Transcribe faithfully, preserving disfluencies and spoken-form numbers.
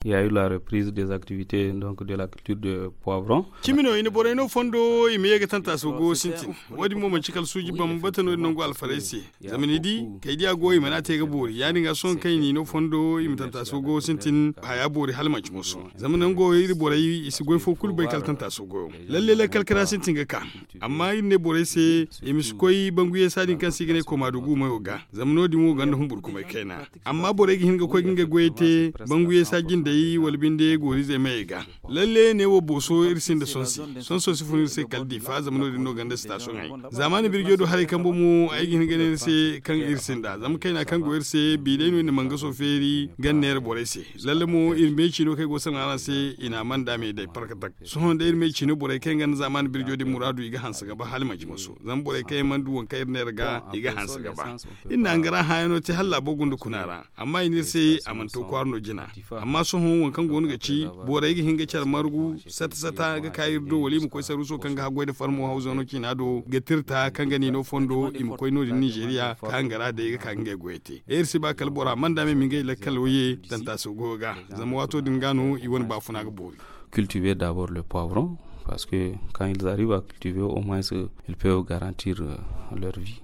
Il y a eu la reprise des activités donc de la culture de poivron. Cimi no i na borey no fondo i ma ye ga tantaaso goyo sintin. Wo- din mo manci kala suuji bambata no- din nangu alfarey se. Zama ni di kay diya goyo i mana te ga boori ya- din ga sohõ kaŋ i n'i no fondo i ma tantaaso goyo sintin haya boori hala manci moso. Zama nango iri borey i si goy fo kulu bay kala tantaaso goyo. Lalle lakkal kara sintin ga ka. Amma iri ne borey se i ma si koy bangu yeesa din kaŋ se i ga ne komaadu guumayo ga. Zama no- din wo gonda humburkumay kayna. Amma borey ga hin ga koy ga ngey goyey te bangu yeesa jindey wala binde gooriizey mayey ga. Lalle ne wo booso iri sinda sonsi. Sonso si fun iri se kala diifa zama no- din no gonda sitaasoŋey. Zaamaani birjo do haray kambe mo ay ga hin ga ne ni se kaŋ iri sinda zama kayna kaŋ go iri se bi day no iri na mangaso feeri ga ni neera borey se. Lalle mo iri meeci no kaŋ ay go ga sanaŋ araŋ se i na a mana da me day parkatak. Sohõ day iri meeci no borey kaŋ yaŋ gonda zaamaani birjo din muraadu i ga hanse ga ba hala i manci moso zama borey kaŋ yaŋ mana du waŋ kaŋ iri neera ga i ga hanse ga ba. Iri na hangara hãyano te hala laabo gunda kuna ra. Amma i ne iri se a mana to kwaara no jina. Amma sohõ waŋ kaŋ go no ga ci borey ga hin ga care margu sata sata ga ka iri do wala i ma koy saruuso kaŋ ga haggoy nda farmo hawzano ciina do ga tirta kaŋ ga ni no fondo i ma koy no- din ninzeeriya ka hangara day ga ka ga ngey goyey te. Iri si ba kala bora mana da me ma ngey lakkalo ye tantaaso goyo ga. Zama waato din ga no i wane baafuna ga boori. Cultiver d'abord le poivron parce que quand ils arrivent à cultiver au moins ils peuvent garantir leur vie.